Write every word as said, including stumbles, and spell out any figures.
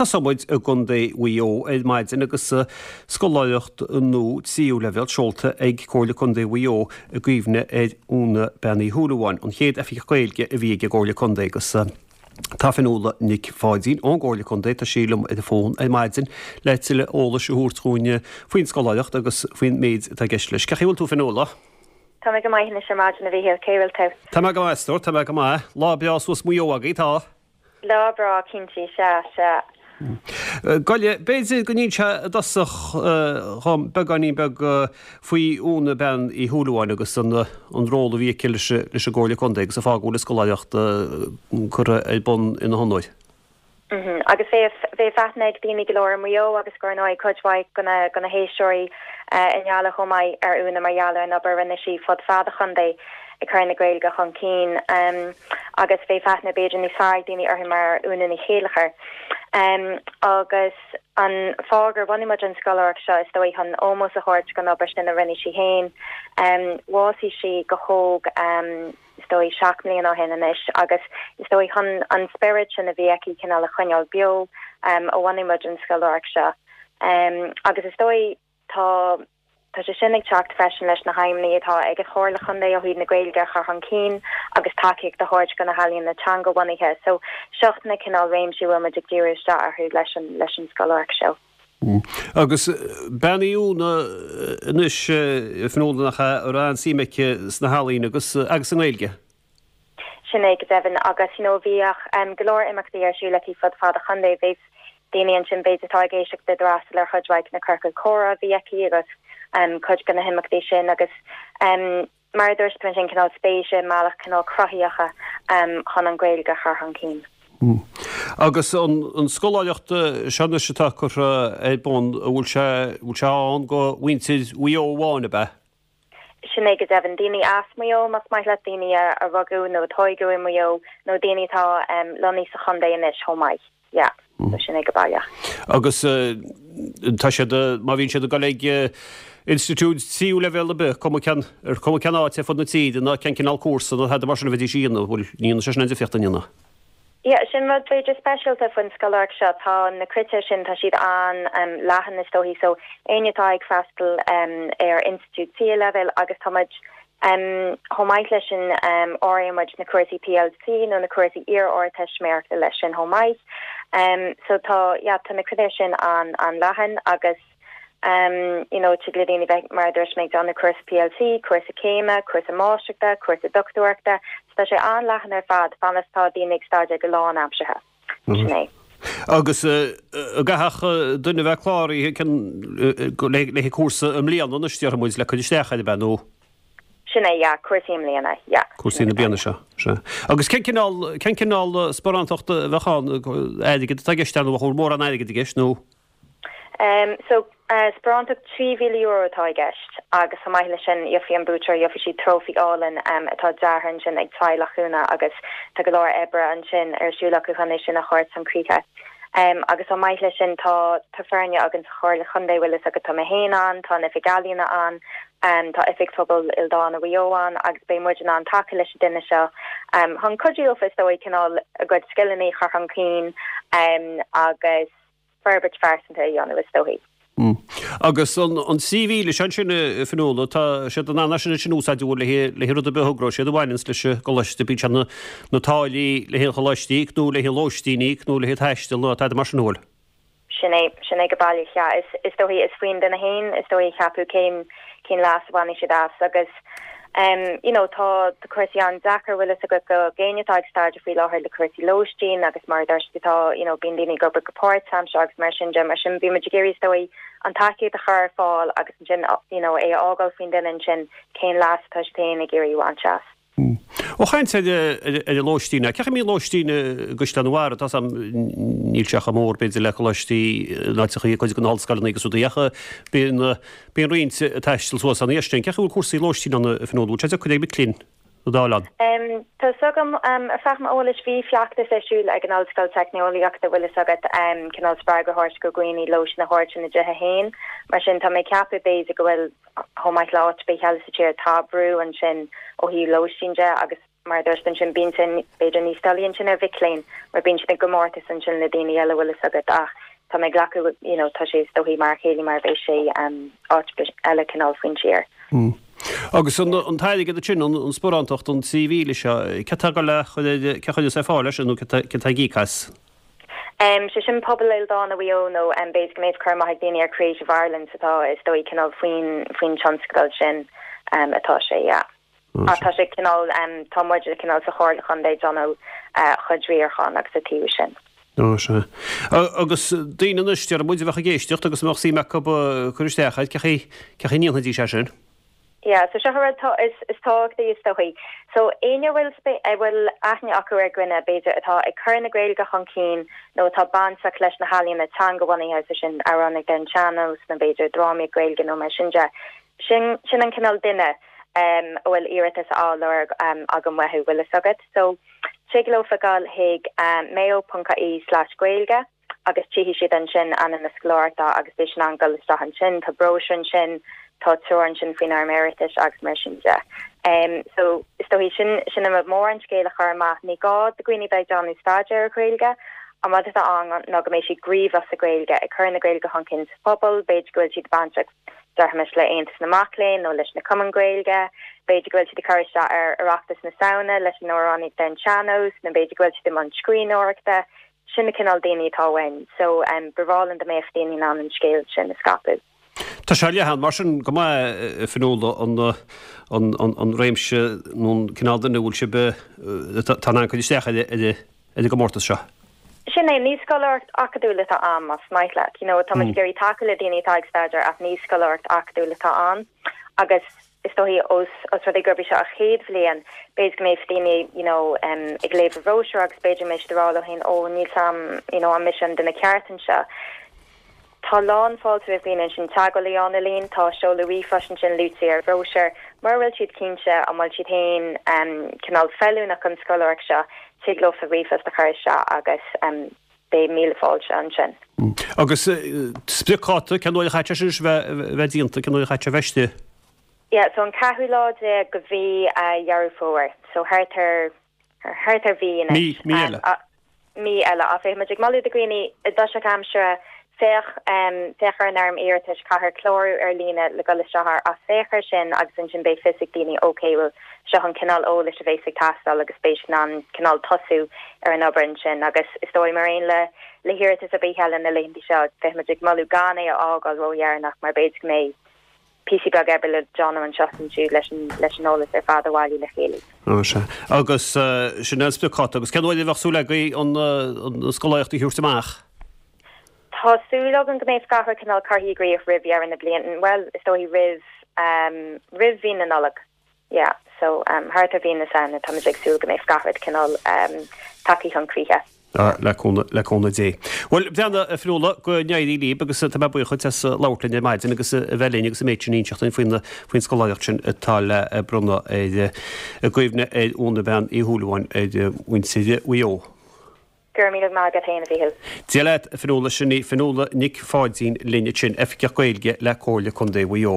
Tosóidh muid i gContae Mhaigh Eo ar maidin agus scoláireacht nua tríú leibhéal seolta ag Comhairle Contae Mhaigh Eo i gcuimhne ar Úna Bean Uí Shúilleabháin, an chéad Oifigeach Gaeilge a bhí ag an gComhairle Contae agus tá Fionnuala Nic Pháidín ón gComhairle Contae, tá sí liom ar an bhfón ar maidin le tuilleadh eolais a thabhairt dhúinn faoin scoláireacht agus faoin méid atá i gceist leis. Cén chaoi a bhfuil tú Fionnuala? Tá mé go maith anois ar maidin a Mhíchíl, cén chaoi a bhfuil tú? Tá mé go maith, a stór, tá mé go maith. Lá breá suas Maigh Eo agaibh, tá? Lá breá, cinnte, sea, sea. Gabh i leith, b'fhéidir go n-inseofá i dtosach dhom beagáinín beag faoi Úna Bean Uí Shúilleabháin agus an an ról a bhí aici leis leis an gComhairle Contae agus an fáth go bhfuil an scoláireacht curtha ar bun ina honóir. Agus bheadh aithne ag daoine go leor i Maigh Eo agus dar ndóigh cuid mhaith de na héisteoirí i nGaillimh chomh maith ar Úna mar gheall ar an obair a rinne sí fud fad an chontae ag cur na Gaeilge chun cinn agus bheadh aithne b'fhéidir níos fearr ag daoine uirthi mar Úna Ní Chéilleachair. Agus an fáth gur bhunaigh muid an scoláireacht seo is dóigh chun ómós a thabhairt don obair sin a rinne sí féin. Bhásaigh sí go hóg is dóigh seacht mbliana ó shin anois agus is dóigh chun an spiorad sin a bhí aici cineál a choinneáil beo um, a bhunaigh muid an scoláireacht seo. Um, agus is dóigh tá tá sé sin ag teacht freisin leis na haidhmeanna atá ag an Chomhairle Chontae ó thaobh na Gaeilge a chur chun cinn agus tacaíocht a thabhairt do na healaíona teangabhunaithe. So seo na cineál réimsí a bhfuil muid ag díriú isteach orthu leis an leis an scoláireacht seo. Mm. Agus bean í Úna anois Fionnuala nach ea a raibh an-suim aici sna healaíona agus agus sa nGaeilge. Sin é go deimhin agus you know, bhíodh um, go leor imeachtaí ar siúl aici fud fad an chontae bhí daoine ansin b'fhéidir atá ag éisteacht d'fhreastal ar chuid mhaith na ciorcail chomhrá a bhí aici agus um, cuid de na himeachtaí sin agus um, mar dúirt sin cineál spéise mbealach cineál cruthaitheacha um, chun an Ghaeilge a chur chun cinn. Mm. Agus an, an scoláireacht seo anois atá curtha ar bun bhfuil sé bhfuil sé ann do mhuintir Mhaigh Eo amháin ab ea? Sin é go deimhin daoine as Maigh Eo más maith leat daoine a, a rugadh nó a tógadh i Maigh Eo nó daoine atá um, lonnaithe sa chontae anois chomh maith. Yeah. Mm. So sin é go baileach. Agus uh, tá siad má bhíonn siad ag dul ag institiúid tríú leibhéal ar bith cuma cén ar cuma cén áit ar fud na tíre ná cén cineál cúrsa nó tada mar sin a bheidís a dhéanamh bhfuil níl sé sin an difríocht a dhéanamh. Ja, sin rud b'fhéidir speisialta faoin scoláireacht seo tá na critéir sin tá siad an um, leathan is dóigh so éinne atá ag freastal um, ar institiúid tríú leibhéal agus tá muid um, chomh maith leis sin um, áiríonn na cúrsaí PLC nó na cúrsaí iar-ardteistiméireachta leis sin chomh maith. Um, so tá ja, tá na critéir sin an an leathan agus um, you know, tig le daoine bheith mar dúirt mé déanamh cúrsa PLC, cúrsa céime, cúrsa máistreachta, cúrsa dochtúireachta, tá sé an leathan ar fad fad is tá daoine ag staidéar go lánaimseartha. Sin é. Agus gach duine bheith cláraithe le le cúrsa i mbliana na stiúrmuid le chun isteach ar bheith nó? Sin é ja, cúrsaí i mbliana ja. Cúrsaí na bliana seo. Se. Agus cén cineál cén cineál sparántacht a bheadh ann airgead atá i gceist nó bhfuil mórán airgid i gceist nó? Um, so uh, sparántacht trí mhíle euro atá i gceist agus chomh maith leis sin gheobhaidh an buaiteoir gheobhaidh siad trófaí álainn um, atá deartha ansin ag teaghlach Úna agus tá go leor oibre ansin ar siúl acu chun é sin a chur chun críche. Um, agus chomh maith leis sin tá tá foirne againn sa Chomhairle Chontae bhfuil fhios agat tá mé féin ann, tá an Oifig Ealaíona ann, um, tá Oifig Phobal Ildánach Mhaigh Eo ann agus beidh muid in ann tacú leis an duine seo um, chun cuidiú leofa is dóigh cineál a gcuid scileanna a chur chun cinn um, agus forbairt phearsanta a dhéanamh is dóigh. Mm. Agus an an trí mhíle sin sin Fionnuala tá siad an an sin sin úsáid le le rud a bheith siad a bhaineanns leis an gcoláiste bíodh na na táillí le haghaidh choláistí nó le haghaidh lóistín nó le haghaidh taistil nó tá mar sin bhfuil. Sin é sin é go baileach ja is is dóigh is faoin duine féin is dóigh ceapadh cén cén leas a bhainfidh siad as agus um, you know, tá tá cúrsaí an-deacair bhfuil fhios agat do dhaoine atá ag staidéar faoi láthair le cúrsaí lóistín agus mar tá you know, bíonn daoine ag obair go páirtaimseartha agus mar sin de mar sin bhí muid ag iarraidh is dóigh an tacaíocht a chur ar fáil agus sin you know, é a fhágáil faoin duine sin cén leas atá siad féin ag iarraidh a bhaint as. Ó chaint ar ar an lóistín, cé mí lóistín gustan bhar tá am níl sé chomh mór b'fhéidir le coláistí náiteacha chuid den ollscoileanna agus rudaí ach bíonn bíonn roinnt taisteal suas an éistin, cén chaoi a bhfuil cúrsaí lóistín ann Fionnuala sé chuid ag mic léinn dálan. Um, Tá fhios agam um, ar feadh m'eolais bhí feachtas ar siúl ag an Ollscoil Teicneolaíochta bhfuil fhios agat um, cineál spreagadh a thabhairt do dhaoine lóistín a thabhairt ina dtithe féin, mar sin tá mé ag ceapadh b'fhéidir go bhfuil chomh maith le áit ar bith eile sa tír tá brú ansin ó thaobh lóistín de agus mar dúirt ansin bíonn sin b'fhéidir níos doilí ansin ar mhic léinn mar bíonn siad i gcomórtas ansin le daoine eile bhfuil fhios agat ach tá mé ag glacadh you know tá sé is dóichí mar a chéile mar bheidh sé um, áit eile cineál faoin tír. Mm. Agus an an t-airgead sin an an sparántacht an trí mhíle seo cé tá le ce chuid sé fáil leis nó cé tá gícas? Um, sé sin Pobal Ildánach Mhaigh Eo nó um, b'fhéidir go mbeidh cur amach ag daoine ar Creative Ireland atá is dóigh cineál faoin faoin tionscadal sin um, atá sé yeah. Mm. Tá sé cineál um, tá muid cineál sa chomhairle chontae ag déanamh uh, chuid riaracháin agus a taobh sin. Ó sé. Agus daoine anois ar muid a bheith ag éisteacht agus mbeadh suim acu cur isteach air cén chaoi cén chaoi a ndéanfaidís é sin. Yeah, so seo rud is is tábhachtach is dóichí. So éinne bhfuil a bhfuil aithne acu ar dhuine b'fhéidir atá ag cur na Gaeilge chun cinn nó atá bainteach leis na healaíona teangabhunaithe so sin amhránaíocht ar an sean-nós nó b'fhéidir drámaí Gaeilge nó mar sin de. Sin sin an cineál duine um, a bhfuil iarratas á lorg um, agam uathu bhfuil fhios agat. So tig leo gabháil chuig um, mayo.ie slash Gaeilge agus tchífidh siad ansin ainm na scoláireachta agus beidh siad in ann dul isteach ansin tá bróisiúr ansin tá treoir ansin faoin fhoirm iarratais agus mar sin de. Um, so is dóichí sin sin an mór an scéal a chur amach ní gá do dhaoine bheith ag déanamh staidéar ar Ghaeilge an rud atá ann ná go mbeidh siad gníomhach sa Ghaeilge ag cur na Gaeilge chun cinn sa phobal, b'fhéidir go bhfuil siad bainteach dearthmis le Aontas na Mac Léinn nó leis na cumainn Ghaeilge, b'fhéidir go bhfuil siad ag cur isteach ar Oireachtas na Samhna leis an amhránaíocht ar an sean-nós, nó b'fhéidir go bhfuil siad i mbun scríbhneoireachta, sin na cineál daoine atá uainn, so um, ba bhreá linn dá mbeadh daoine in ann an scéal sin a scaipeadh. Tá sé leathan mar sin go maith Fionnuala an an an an réimse nó an cineál duine bhfuil sibh tá an chun isteach ar ar ar an gcomórtas seo. Sin é ní scoláireacht acadúil atá ann más maith leat. You know, tá mm. ag iarraidh tacú le daoine atá ag staidéar ach ní scoláireacht acadúil atá ann agus is dóichí os os rud é gurb í seo an chéad bhliain b'fhéidir go mbeidh daoine you know um, ag léamh an bhróisiúir agus b'fhéidir mbeidh siad ag rá leo féin ó níl sam you know an mise an duine ceart anseo. Tá lán fáilte roimh daoine sin teagmháil a dhéanamh linn tá seoladh ríomhphoist ansin luaite ar bhróisiúr, mura bhfuil siad cinnte an bhfuil siad féin um, cineál feiliúnach don scoláireacht seo tig leo ríomhphost a chur isteach agus um, beidh míle fáilte ansin. Mm. Agus uh, spriocdháta cén uair a chaithfidh sé bheith déanta cén uair a chaithfidh bheith istigh? Yeah, so an ceathrú lá déag de mhí uh, Dheireadh Fómhair, so thart ar thart ar mhí mí mí eile. mí eile a bheidh muid ag moladh do dhaoine i dtosach aimsire féach um, féach ar an fhoirm iarratais caithfear clárú ar líne le dul isteach ach féach air sin agus ansin beidh fios ag daoine ok well seo an cineál eolais a bheas ag teastáil agus beidh in ann cineál tosú ar an obair ansin agus is dóigh mar aon le le hiarratas ar bith eile na laethanta seo bheidh muid ag moladh gan é a fhágáil ródheireanach mar b'fhéidir go mbeidh píosa beag oibre le déanamh anseo ansiúd leis an leis an eolas ar fad a bhailiú le chéile. sé. Agus uh, sin an spriocdháta agus cén uair a bheadh súil agaibh an uh, scoláireacht a thabhairt amach. Tá súil agam go mbeidh gach rud cineál curtha i gcrích roimh dheireadh na bliana well is dóichí roimh um, roimh mhí na Nollag. Yeah, so um, thart ar mhí na Samhna tá ag súil go mbeidh gach rud cineál um, tagtha chun críche. le le cúnamh Dé. Well bheanna a Fhionnuala go n-éirí libh agus tá mé buíoch as labhairt linn ar maidin agus a bheith linn agus an méid sin a inseacht faoin faoin scoláireacht sin atá le bronnadh ar i gcuimhne ar Úna Bean Uí Shúilleabháin ar mhuintir Mhaigh Eo. Gur mí má go féin a bhíhil. Dia leat Fionnuala sin í Fionnuala Nic Pháidín linn sin Oifigeach Gaeilge le Comhairle Contae Mhaigh Eo.